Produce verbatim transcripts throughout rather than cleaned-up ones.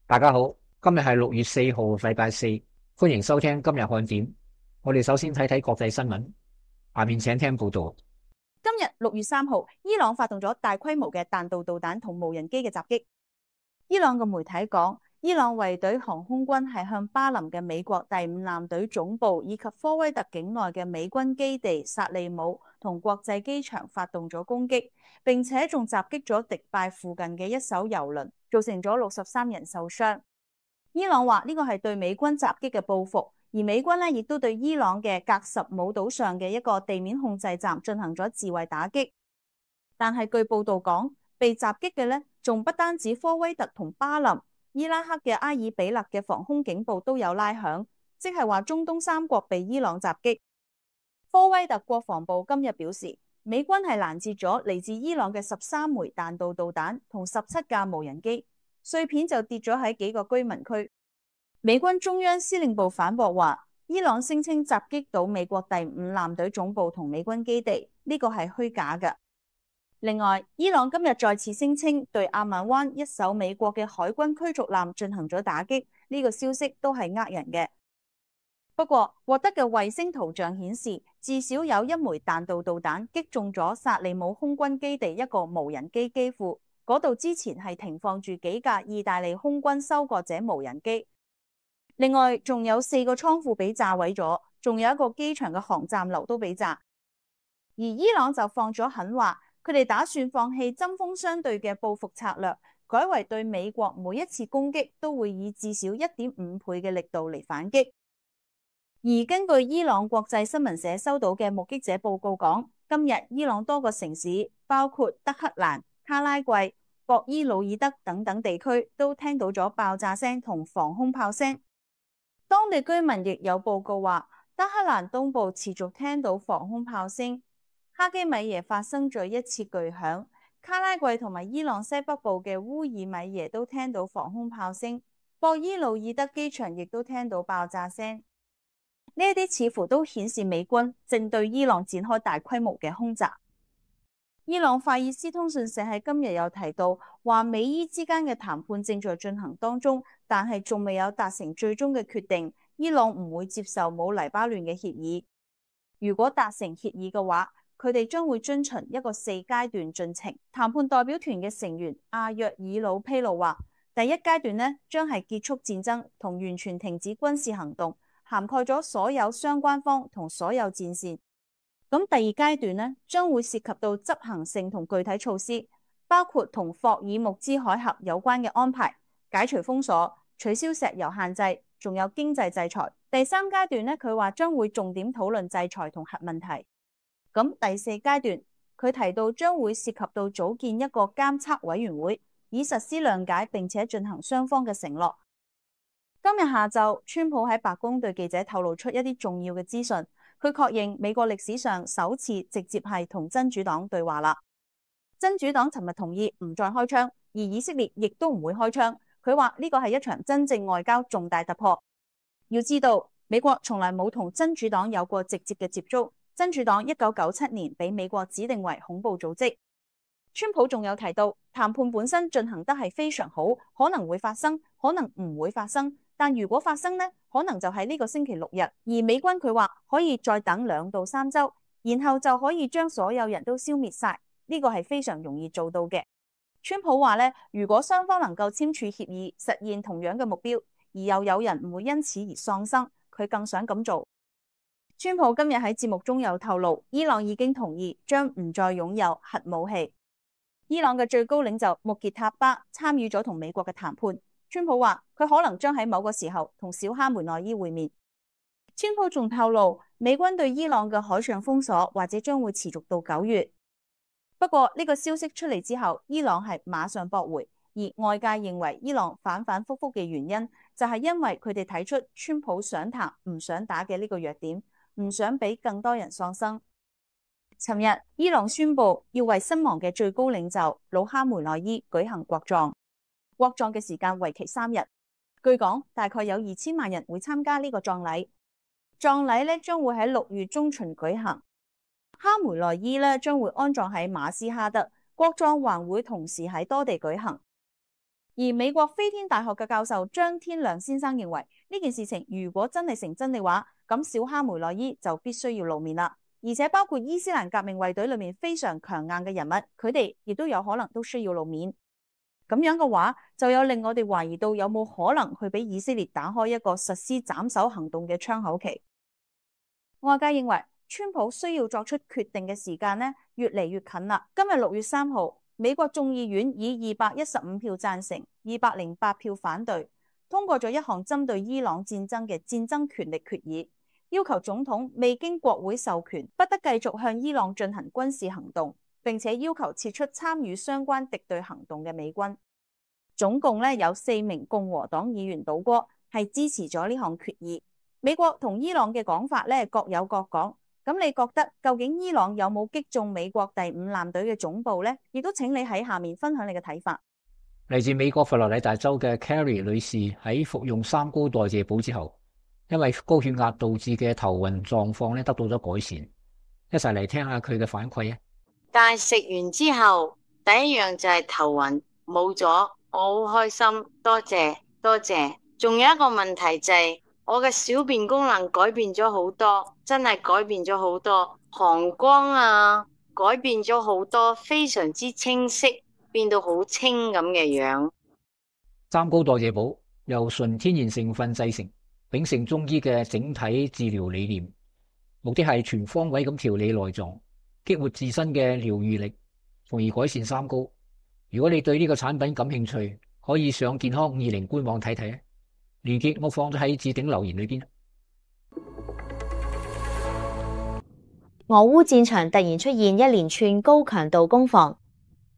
大家好，今日係六月四號，禮拜四，歡迎收聽今日看點。我哋首先睇睇國際新聞，下面請聽報道。今日六月三號，伊朗發動咗大規模嘅彈道導彈同無人機嘅襲擊。伊朗嘅媒體講，伊朗衛隊航空軍係向巴林嘅美國第五艦隊總部以及科威特境內嘅美軍基地薩利姆同國際機場發動咗攻擊，並且仲襲擊咗迪拜附近嘅一艘郵輪，造成咗六十三人受傷。伊朗話呢個係對美軍襲擊嘅報復。而美軍咧亦都對伊朗嘅格什姆島上嘅一個地面控制站進行咗自衛打擊，但係據報道講，被襲擊嘅咧仲不單止科威特同巴林，伊拉克嘅埃爾比勒嘅防空警報都有拉響，即係話中東三國被伊朗襲擊。科威特國防部今日表示，美軍係攔截咗嚟自伊朗嘅十三枚彈道導彈同十七架無人機，碎片就跌咗喺幾個居民區。美軍中央司令部反駁話，伊朗聲稱襲擊到美國第五艦隊總部同美軍基地，呢個係虛假嘅。另外，伊朗今日再次聲稱對阿曼灣一艘美國嘅海軍驅逐艦進行咗打擊，呢個消息都係呃人嘅。不過，獲得嘅衛星圖像顯示，至少有一枚彈道導彈擊中咗薩利姆空軍基地一個無人機機庫，嗰度之前係停放住幾架意大利空軍收割者無人機。另外，仲有四個倉庫被炸毀咗，仲有一個機場嘅航站樓都被炸。而伊朗就放咗狠話，佢哋打算放棄針鋒相對嘅報復策略，改為對美國每一次攻擊都會以至少一點五倍嘅力度嚟反擊。而根據伊朗國際新聞社收到嘅目擊者報告講，今日伊朗多個城市，包括德黑蘭、卡拉季、博伊魯爾德等等地區，都聽到咗爆炸聲同防空炮聲。當地居民亦有報告話，德黑蘭東部持續聽到防空炮聲，哈基米耶發生咗一次巨響，卡拉季同埋伊朗西北部嘅烏爾米耶都聽到防空炮聲，博伊魯爾德機場亦都聽到爆炸聲。呢一啲似乎都顯示美軍正對伊朗展開大規模嘅空襲。伊朗法爾斯通訊社喺今日有提到，話美伊之間嘅談判正在進行當中，但係仲未有達成最終嘅決定。伊朗唔會接受冇黎巴嫩嘅協議。如果達成協議嘅話，佢哋將會遵循一個四階段進程。談判代表團嘅成員阿約爾魯披露話，第一階段呢將係結束戰爭同完全停止軍事行動，涵蓋咗所有相關方同所有戰線。咁第二階段呢，將會涉及到執行性同具體措施，包括同霍爾木茲海峽有關嘅安排、解除封鎖、取消石油限制，仲有經濟制裁。第三階段呢，佢話將會重點討論制裁同核問題。咁第四階段，佢提到將會涉及到組建一個監測委員會，以實施諒解並且進行雙方嘅承諾。今日下晝，川普喺白宮對記者透露出一啲重要嘅資訊。佢確認美國歷史上首次直接係同真主黨對話啦。真主黨尋日同意唔再開槍，而以色列亦都唔會開槍。佢話呢個係一場真正外交重大突破。要知道，美國從來冇同真主黨有過直接嘅接觸。真主黨一九九七年被美國指定為恐怖組織。川普仲有提到，談判本身進行得係非常好，可能會發生，可能唔會發生。但如果發生呢，可能就係呢個星期六日，而美軍佢話可以再等兩到三週，然後就可以將所有人都消滅晒。呢個係非常容易做到嘅。川普話呢，如果雙方能夠簽署協議，實現同樣嘅目標，而又有人唔會因此而喪生，佢更想咁做。川普今日喺節目中有透露，伊朗已經同意將唔再擁有核武器。伊朗嘅最高領袖穆傑塔巴參與咗同美國嘅談判。川普話佢可能將喺某個時候同小哈梅內伊會面。川普仲透露，美軍對伊朗嘅海上封鎖或者將會持續到九月。不過呢個消息出嚟之後，伊朗係馬上駁回，而外界認為伊朗反反复复嘅原因就係因為佢哋睇出川普想談唔想打嘅呢個弱點，唔想俾更多人喪生。尋日伊朗宣布要為身亡嘅最高領袖魯哈梅內伊舉行國葬。國葬嘅時間為期三日，據講大概有二千萬人會參加呢個葬禮。葬禮咧將會喺六月中旬舉行。哈梅內伊咧將會安葬喺馬斯哈德，國葬還會同時喺多地舉行。而美國飛天大學嘅教授張天亮先生認為，呢件事情如果真係成真嘅話，咁小哈梅內伊就必須要露面啦。而且包括伊斯蘭革命衛隊裏面非常強硬嘅人物，佢哋亦都有可能都需要露面。咁樣嘅話，就有令我哋懷疑到有冇可能去俾以色列打開一個實施斬首行動嘅窗口期。外界認為，川普需要作出決定嘅時間呢，越嚟越近啦。今日六月三號，美國眾議院以二百一十五票贊成、二百零八票反對，通過咗一項針對伊朗戰爭嘅戰爭權力決議，要求總統未經國會授權，不得繼續向伊朗進行軍事行動，並且要求撤出參與相關敵對行動嘅美軍。總共咧有四名共和黨議員倒戈，係支持咗呢項決議。美國同伊朗嘅講法咧各有各講。咁你覺得究竟伊朗有冇擊中美國第五艦隊嘅總部呢？亦都請你喺下面分享你嘅睇法。嚟自美國佛羅里達州嘅 Carrie 女士喺服用三高代謝補之後，因為高血壓導致嘅頭暈狀況咧得到咗改善。一齊嚟聽下佢嘅反饋啊！但係食完之後，第一樣就係頭暈冇咗，我好開心，多謝多謝。仲有一個問題就係、是。我嘅小便功能改變咗好多，真係改變咗好多，膀胱啊改變咗好多，非常之清晰，變到好清咁嘅樣。三高代謝補由純天然成分製成，秉承中醫嘅整體治療理念，目的係全方位咁調理內臟，激活自身嘅療癒力，從而改善三高。如果你對呢個產品感興趣，可以上健康五二零官網睇睇啊！連結我放咗喺置頂留言裏邊。俄烏戰場突然出現一連串高強度攻防，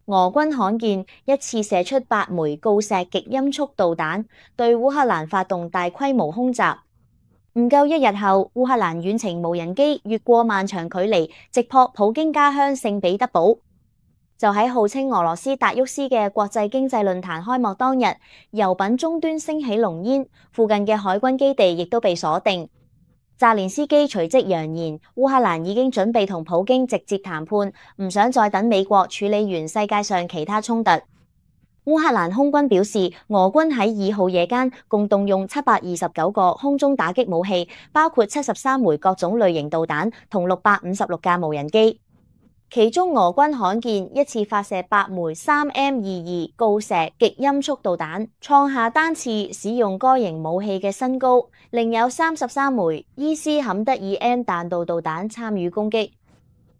俄軍罕見一次射出八枚鋯石極音速導彈，對烏克蘭發動大規模空襲。唔夠一日後，烏克蘭遠程無人機越過漫長距離，直撲普京家鄉聖彼得堡。就喺號稱俄羅斯達沃斯嘅國際經濟論壇開幕當日，油品終端升起濃煙，附近嘅海軍基地亦都被鎖定。澤連斯基隨即揚言，烏克蘭已經準備同普京直接談判，唔想再等美國處理完世界上其他衝突。烏克蘭空軍表示，俄軍喺二號夜間共動用七百二十九個空中打擊武器，包括七十三枚各種類型導彈同六百五十六架無人機。其中俄軍罕見一次發射八枚三 M 二二鋯石極音速導彈，創下單次使用該型武器嘅新高。另有三十三枚伊斯坎德爾 M 彈道導彈參與攻擊，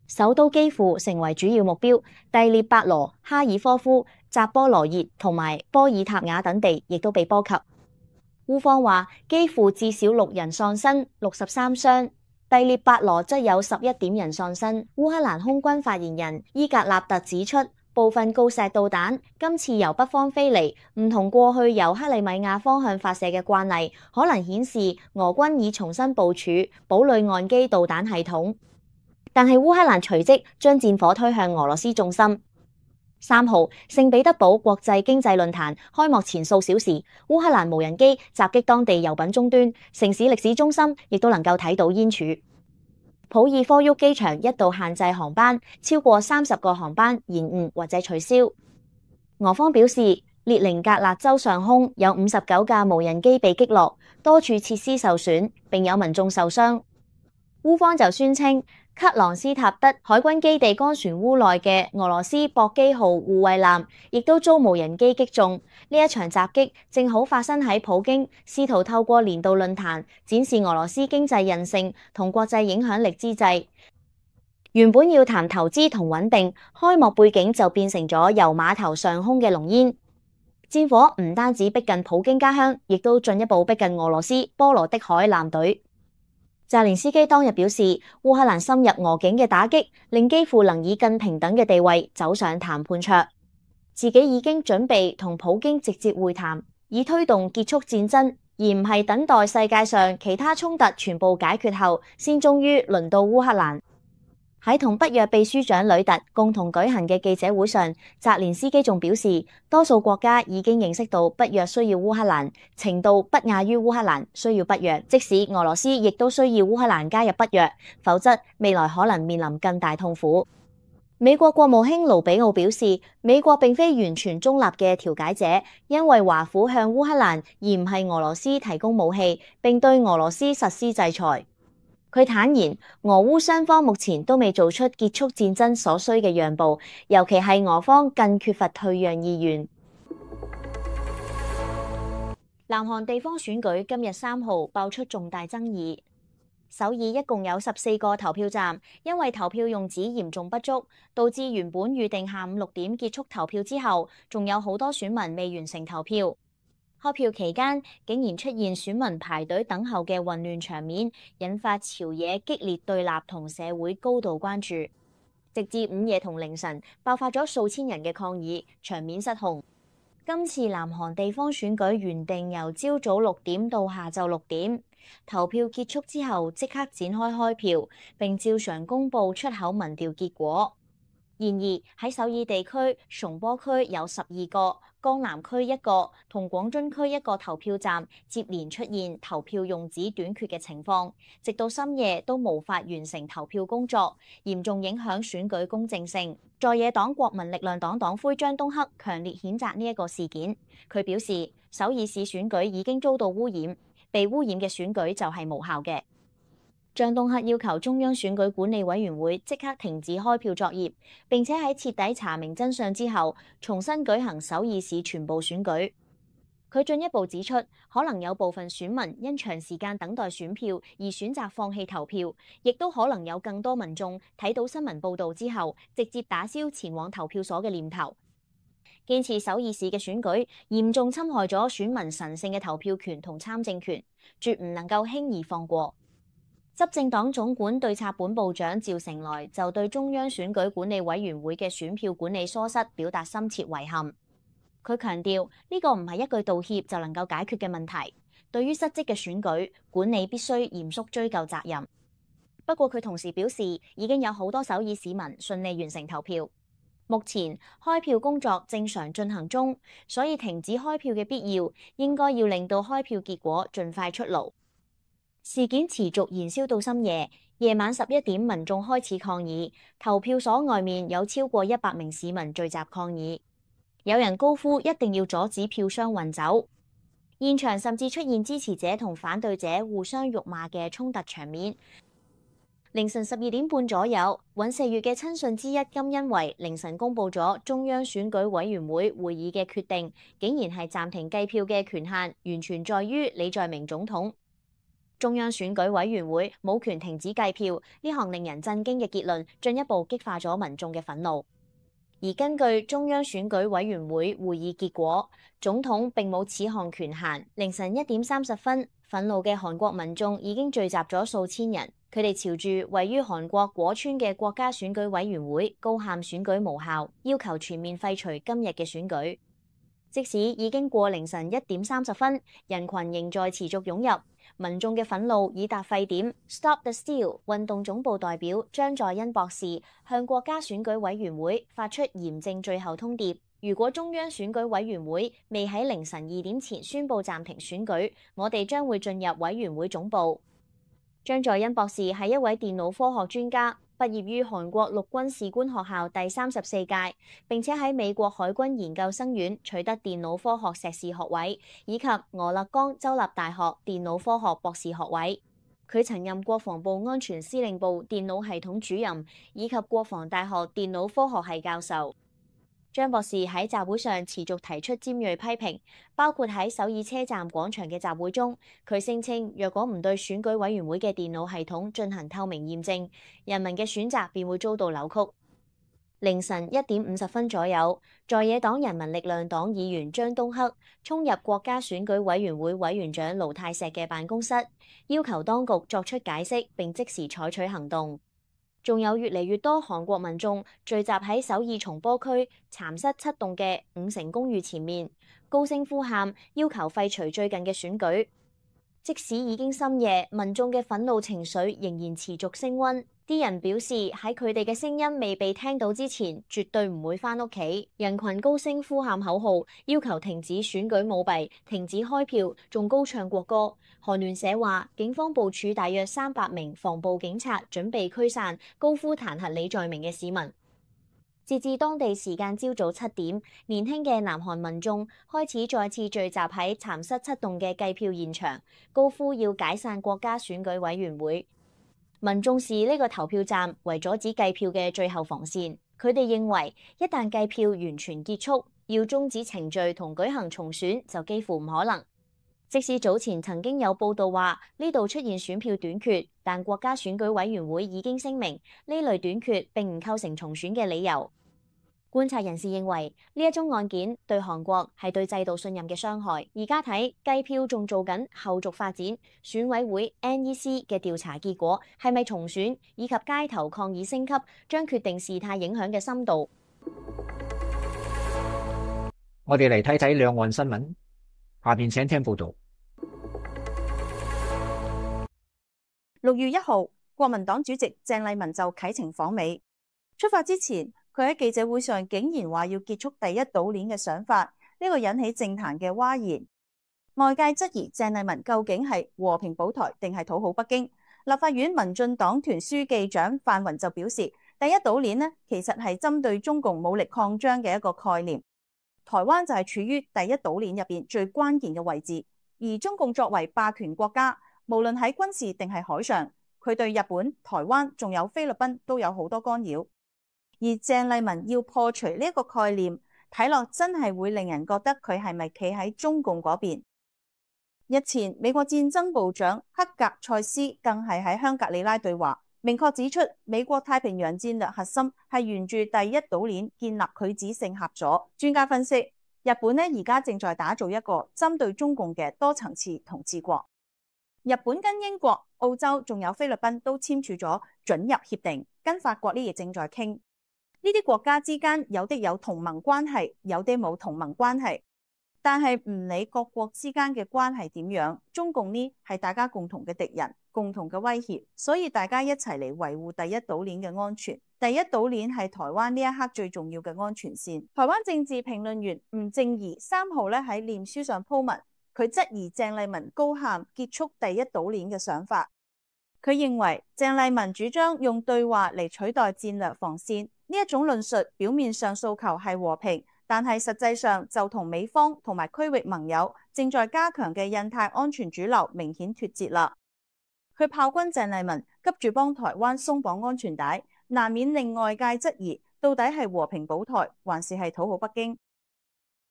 首都基輔成為主要目標，第聶伯羅、哈爾科夫、扎波羅熱同埋波爾塔瓦等地亦都被波及。烏方話基輔至少六人喪生，六十三傷。第聶伯羅則有十一點人喪生。烏克蘭空軍發言人伊格納特指出，部分鋯石導彈今次由北方飛嚟，唔同過去由克里米亞方向發射嘅慣例，可能顯示俄軍已重新部署堡壘岸基導彈系統。但係烏克蘭隨即將戰火推向俄羅斯重心。三號，聖彼得堡國際經濟論壇開幕前數小時，烏克蘭無人機襲擊當地油品終端，城市歷史中心亦都能夠睇到煙柱。普爾科沃機場一度限制航班，超過三十個航班延誤或者取消。俄方表示，列寧格勒州上空有五十九架無人機被擊落，多處設施受損，並有民眾受傷。烏方就宣稱，克朗斯塔德海軍基地乾船塢內嘅俄羅斯博基號護衛艦亦都遭無人機擊中。呢一場襲擊正好發生喺普京試圖透過年度論壇展示俄羅斯經濟韌性同國際影響力之際。原本要談投資同穩定，開幕背景就變成咗油碼頭上空嘅濃煙。戰火唔單止逼近普京家鄉，亦都進一步逼近俄羅斯波羅的海艦隊。澤連斯基當日表示，烏克蘭深入俄境嘅打擊，令基輔能以更平等嘅地位走上談判桌。自己已經準備同普京直接會談，以推動結束戰爭，而唔係等待世界上其他衝突全部解決後，先終於輪到烏克蘭。喺同北約秘書長呂特共同舉行嘅記者會上，澤連斯基仲表示，多數國家已經認識到北約需要烏克蘭，程度不亞於烏克蘭需要北約，即使俄羅斯亦都需要烏克蘭加入北約，否則未來可能面臨更大痛苦。美國國務卿盧比奧表示，美國並非完全中立嘅調解者，因為華府向烏克蘭而唔係俄羅斯提供武器，並對俄羅斯實施制裁。佢坦言，俄烏雙方目前都未做出結束戰爭所需嘅讓步，尤其係俄方更缺乏退讓意願。南韓地方選舉今日三號爆出重大爭議。首爾一共有十四個投票站，因為投票用紙嚴重不足，導致原本預定下午六點結束投票之後，仲有好多選民未完成投票。開票期間竟然出現選民排隊等候嘅混亂場面，引發朝野激烈對立同社會高度關注，直至午夜同凌晨爆發咗數千人嘅抗議，場面失控。今次南韓地方選舉原定由朝早六點到下晝六點，投票結束之後即刻展開開票，並照常公佈出口民調結果。然而喺首爾地區、松坡區有十二個、江南區一個同廣津區一個投票站接連出現投票用紙短缺嘅情況，直到深夜都無法完成投票工作，嚴重影響選舉公正性。在野黨國民力量黨黨魁張東赫強烈譴責呢一個事件。佢表示，首爾市選舉已經遭到污染，被污染嘅選舉就係無效嘅。張東赫要求中央選舉管理委員會即刻停止開票作業，並且喺徹底查明真相之後，重新舉行首爾市全部選舉。佢進一步指出，可能有部分選民因長時間等待選票而選擇放棄投票，亦都可能有更多民眾睇到新聞報導之後，直接打消前往投票所嘅念頭。堅持首爾市嘅選舉嚴重侵害咗選民神聖嘅投票權同參政權，絕唔能夠輕易放過。執政黨總管對策本部長趙成來就對中央選舉管理委員會嘅選票管理疏失表達深切遺憾。佢強調呢個唔係一句道歉就能夠解決嘅問題，對於失職嘅選舉管理必須嚴肅追究責任。不過佢同時表示，已經有好多首爾市民順利完成投票，目前開票工作正常進行中，所以停止開票嘅必要應該要令到開票結果盡快出爐。事件持續燃燒到深夜，夜晚十一點，民眾開始抗議，投票所外面有超過一百名市民聚集抗議，有人高呼一定要阻止票箱運走，現場甚至出現支持者同反對者互相辱罵嘅衝突場面。凌晨十二點半左右，尹錫悅嘅親信之一金恩維凌晨公佈咗中央選舉委員會會議嘅決定，竟然係暫停計票嘅權限完全在於李在明總統。中央選舉委員會冇權停止計票，呢項令人震驚嘅結論進一步激化咗民眾嘅憤怒。而根據中央選舉委員會會議結果，總統並冇此項權限。凌晨一點三十分，憤怒嘅韓國民眾已經聚集咗數千人，佢哋朝住位於韓國果川嘅國家選舉委員會高喊選舉無效，要求全面廢除今日嘅選舉。即使已經過凌晨一點三十分，人群仍在持續湧入。民眾嘅憤怒已達沸點。Stop the Steal 運動總部代表張在恩博士向國家選舉委員會發出嚴正最後通牒：如果中央選舉委員會未喺凌晨二點前宣布暫停選舉，我哋將會進入委員會總部。張在恩博士係一位電腦科學專家，畢業於韓國陸軍士官學校第三十四屆，並且喺美國海軍研究生院取得電腦科學碩士學位，以及俄勒岡州立大學電腦科學博士學位。佢曾任國防部安全司令部電腦系統主任，以及國防大學電腦科學系教授。張博士喺集會上持續提出尖銳批評，包括喺首爾車站廣場嘅集會中，佢聲稱若果唔對選舉委員會嘅電腦系統進行透明驗證，人民嘅選擇便會遭到扭曲。凌晨一點五十分左右，在野黨人民力量黨議員張東赫衝入國家選舉委員會委員長盧泰錫嘅辦公室，要求當局作出解釋並即時採取行動。仲有越嚟越多韓國民眾聚集喺首爾松坡區蠶室七棟嘅五成公寓前面，高聲呼喊，要求廢除最近嘅選舉。即使已經深夜，民眾嘅憤怒情緒仍然持續升溫。啲人表示喺佢哋嘅聲音未被聽到之前，絕對唔會返屋企。人群高聲呼喊口號，要求停止選舉舞弊、停止開票，仲高唱國歌。韓聯社話，警方部署大約三百名防暴警察，準備驅散高呼彈劾李在明嘅市民。截至當地時間朝早七點，年輕嘅南韓民眾開始再次聚集喺蠶室七棟嘅計票現場，高呼要解散國家選舉委員會。民眾視呢個投票站為阻止計票嘅最後防線。佢哋認為，一旦計票完全結束，要終止程序同舉行重選就幾乎唔可能。即使早前曾經有報道話呢度出現選票短缺，但國家選舉委員會已經聲明呢類短缺並唔構成重選嘅理由。觀察人士認為呢一宗案件對韓國係對制度信任嘅傷害。而家睇計票仲做緊後續發展，選委會 N E C 嘅調查結果係咪重選，以及街頭抗議升級，將決定事態影響嘅深度。我哋嚟睇睇兩岸新聞，下邊請聽報道。六月一號，國民黨主席鄭麗文就啟程訪美。出發之前，佢喺記者會上竟然話要結束第一島鏈嘅想法，呢個引起政壇嘅譁然。外界質疑鄭麗文究竟係和平保台定係討好北京。立法院民進黨團書記長范雲就表示，第一島鏈呢其實係針對中共武力擴張嘅一個概念。台灣就係處於第一島鏈入邊最關鍵嘅位置，而中共作為霸權國家，無論喺軍事定係海上，佢對日本、台灣仲有菲律賓都有好多干擾。而鄭麗文要破除呢一個概念，睇落真係會令人覺得佢係咪企喺中共嗰邊。日前，美國戰爭部長克格塞斯更係喺香格里拉對話，明確指出美國太平洋戰略核心係沿住第一島鏈建立拒止性合作。專家分析，日本呢而家正在打造一個針對中共嘅多層次統治國。日本跟英國、澳洲仲有菲律賓都簽署咗准入協定，跟法國呢亦正在傾。呢啲國家之間有的有同盟關係，有啲冇同盟關係，但係唔理各國之間嘅關係點樣，中共呢係大家共同嘅敵人，共同嘅威脅，所以大家一齊嚟維護第一島鏈嘅安全。第一島鏈係台灣呢一刻最重要嘅安全線。台灣政治評論員吳正儀三號咧喺臉書上鋪文，佢質疑鄭麗文高喊結束第一島鏈嘅想法。佢認為鄭麗文主張用對話嚟取代戰略防線。呢一種論述表面上訴求係和平，但係實際上就同美方同埋區域盟友正在加強嘅印太安全主流明顯脫節啦。佢炮轟鄭麗文急住幫台灣鬆綁安全帶，難免令外界質疑到底係和平保台還是係討好北京。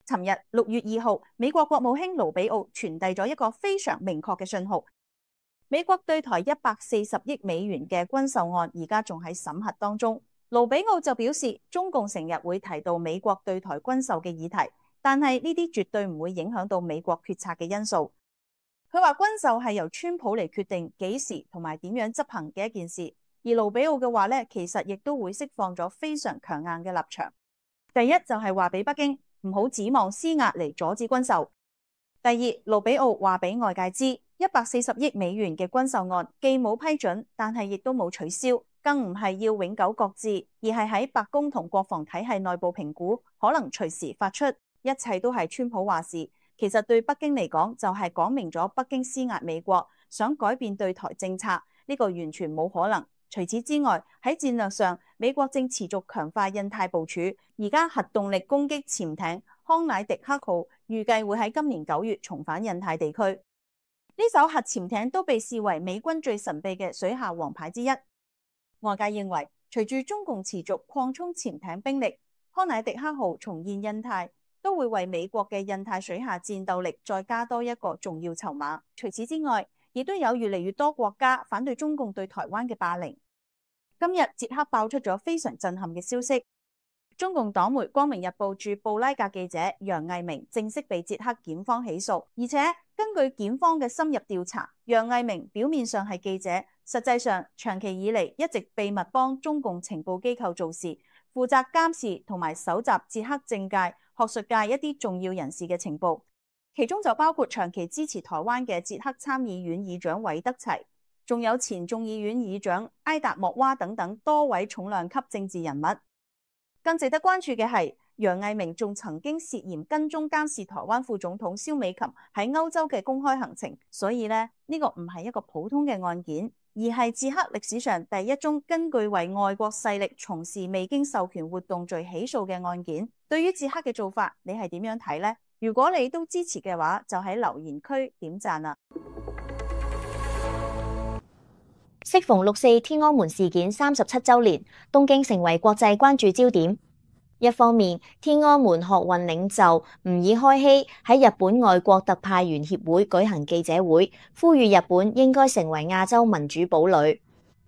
尋日六月二號，美國國務卿盧比奧傳遞咗一個非常明確嘅信號，美國對台一百四十億美元嘅軍售案而家仲喺審核當中。盧比奧就表示，中共成日會提到美國對台軍售嘅議題，但係呢啲絕對唔會影響到美國決策嘅因素。佢話軍售係由川普嚟決定幾時同埋點樣執行嘅一件事，而盧比奧嘅話呢，其實亦都會釋放咗非常強硬嘅立場。第一就係話俾北京唔好指望施壓嚟阻止軍售。第二，盧比奧話俾外界知，一百四十億美元嘅軍售案既冇批准，但係亦都冇取消。更唔係要永久擱置，而係喺白宮同國防體系內部評估，可能隨時發出。一切都係川普話事。其實對北京嚟講，就係講明咗北京施壓美國，想改變對台政策，呢個完全冇可能。除此之外，喺戰略上，美國正持續強化印太部署。而家核動力攻擊潛艇康乃狄克號預計會喺今年九月重返印太地區。呢艘核潛艇都被視為美軍最神秘嘅水下王牌之一。外界認為，隨住中共持續擴充潛艇兵力，康乃狄克號重現印太，都會為美國嘅印太水下戰鬥力再加多一個重要籌碼。除此之外，亦都有越嚟越多國家反對中共對台灣嘅霸凌。今日捷克爆出咗非常震撼嘅消息，中共黨媒《光明日報》駐布拉格記者楊毅明正式被捷克檢方起訴，而且根據檢方嘅深入調查，楊毅明表面上係記者，實際上長期以嚟一直秘密幫中共情報機構做事，負責監視同埋搜集捷克政界、學術界一啲重要人士嘅情報，其中就包括長期支持台灣嘅捷克參議院議長韋德齊，仲有前眾議院議長埃達莫娃等等多位重量級政治人物。更值得關注嘅係，楊毅明仲曾經涉嫌跟蹤監視台灣副總統蕭美琴喺歐洲嘅公開行程，所以呢，呢個唔係一個普通嘅案件。而係捷克歷史上第一宗根據為外國勢力從事未經授權活動罪起訴嘅案件。對於捷克嘅做法，你係點樣睇呢？如果你都支持嘅話，就喺留言區點讚啦。適逢六四天安門事件三十七週年，東京成為國際關注焦點。一方面，天安門學運領袖吾爾開希喺日本外國特派員協會舉行記者會，呼籲日本應該成為亞洲民主堡壘。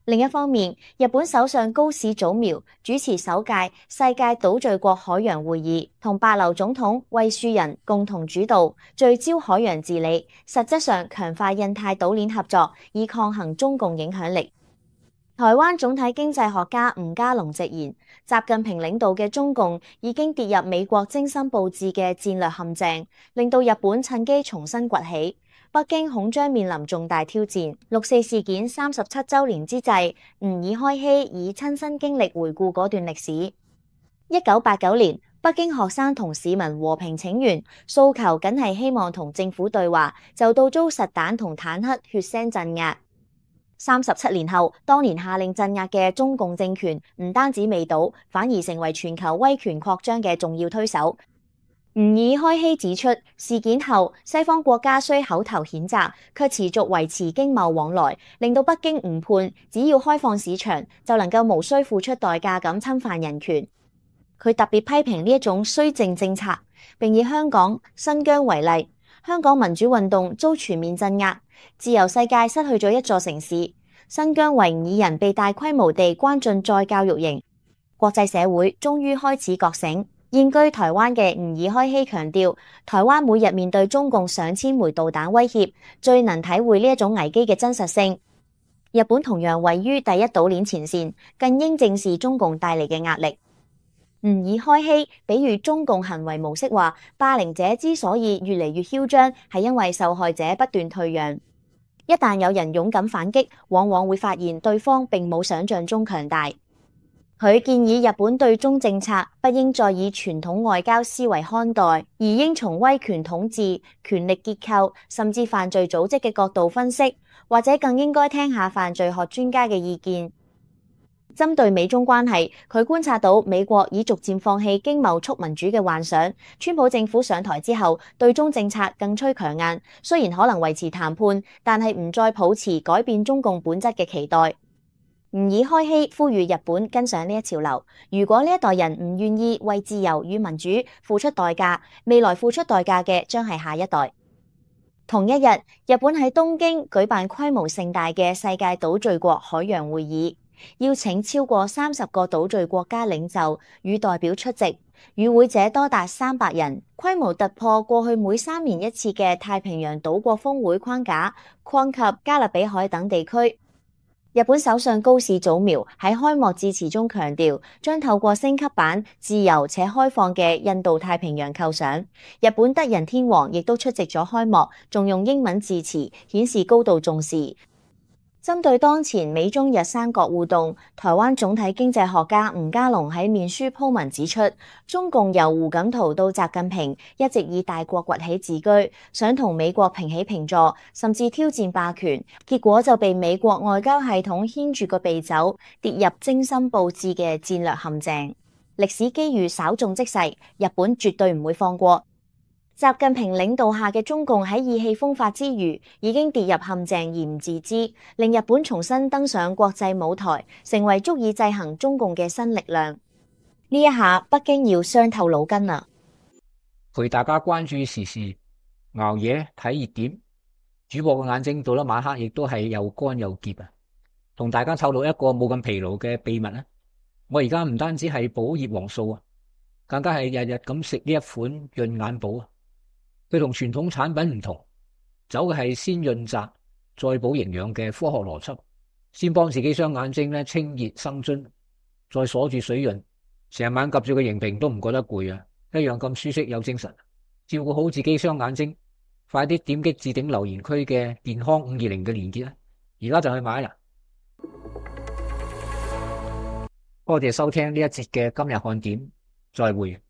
另一方面，日本首相高市早苗主持首屆世界島嶼國海洋會議，同帛琉總統惠恕仁共同主導，聚焦海洋治理，實質上強化印太島鏈合作，以抗衡中共影響力。台灣總體經濟學家吳家龍直言，習近平領導嘅中共已經跌入美國精心佈置嘅戰略陷阱，令到日本趁機重新崛起。北京恐將面臨重大挑戰。六四事件三十七週年之際，吾爾開希以親身經歷回顧嗰段歷史。一九八九年，北京學生同市民和平請願，訴求僅係希望同政府對話，就到遭實彈同坦克血腥鎮壓。三十七年後，當年下令鎮壓嘅中共政權唔單止未倒，反而成為全球威權擴張嘅重要推手。吾爾開希指出，事件後西方國家雖口頭譴責，卻持續維持經貿往來，令到北京誤判只要開放市場就能夠無需付出代價咁侵犯人權。佢特別批評呢一種綏靖政策，並以香港、新疆為例，香港民主運動遭全面鎮壓，自由世界失去咗一座城市，新疆維吾爾人被大規模地關進再教育營，國際社會終於開始覺醒。現居台灣嘅吾爾開希強調，台灣每日面對中共上千枚導彈威脅，最能體會呢一種危機嘅真實性。日本同樣位於第一島鏈前線，更應正視中共帶嚟嘅壓力。吾爾開希比喻中共行為模式話，霸凌者之所以越嚟越囂張，係因為受害者不斷退讓。一旦有人勇敢反擊，往往會發現對方並冇想象中強大。佢建議日本對中政策不應再以傳統外交思維看待，而應從威權統治、權力結構甚至犯罪組織嘅角度分析，或者更應該聽下犯罪學專家嘅意見。針對美中關係，佢觀察到美國已逐漸放棄經貿促民主嘅幻想，川普政府上台之後，對中政策更趨強硬，雖然可能維持談判，但係唔再抱持改變中共本質嘅期待。吾爾開希呼籲日本跟上呢一潮流，如果呢一代人唔願意為自由與民主付出代價，未來付出代價嘅將係下一代。同一日，日本喺東京舉辦規模盛大嘅世界島嶼國海洋會議，邀請超過三十個島嶼國家領袖與代表出席，與會者多達三百人，規模突破過去每三年一次嘅太平洋島國峰會框架，擴及加勒比海等地區。日本首相高市早苗喺開幕致辭中強調，將透過升級版自由且開放嘅印度太平洋構想。日本德仁天皇亦都出席咗開幕，仲用英文致辭，顯示高度重視。針對當前美中日三國互動，台灣總體經濟學家吳家龍喺面書鋪文指出，中共由胡錦濤到習近平一直以大國崛起自居，想同美國平起平坐，甚至挑戰霸權，結果就被美國外交系統牽住個鼻走，跌入精心佈置嘅戰略陷阱。歷史機遇稍縱即逝，日本絕對唔會放過。習近平領導下嘅中共喺意氣風發之餘，已經跌入陷阱而唔自知，令日本重新登上國際舞台，成為足以制衡中共嘅新力量。呢一下，北京要傷透腦筋啦！陪大家關注時事，熬夜睇熱點，主播嘅眼睛到咗晚黑亦都係又乾又澀啊！同大家透露一個冇咁疲勞嘅秘密啊！我而家唔單止係補葉黃素啊，更加係日日咁食呢一款潤眼寶啊！佢同傳統產品唔同，走嘅係先潤澤再補營養嘅科學邏輯，先幫自己雙眼睛咧清熱生津，再鎖住水潤，成晚及住個螢屏都唔覺得攰啊！一樣咁舒適有精神。照顧好自己雙眼睛，快啲點擊置頂留言區嘅健康五二零嘅連結啦！而家就去買啦！多謝收聽呢一節嘅今日看點，再會。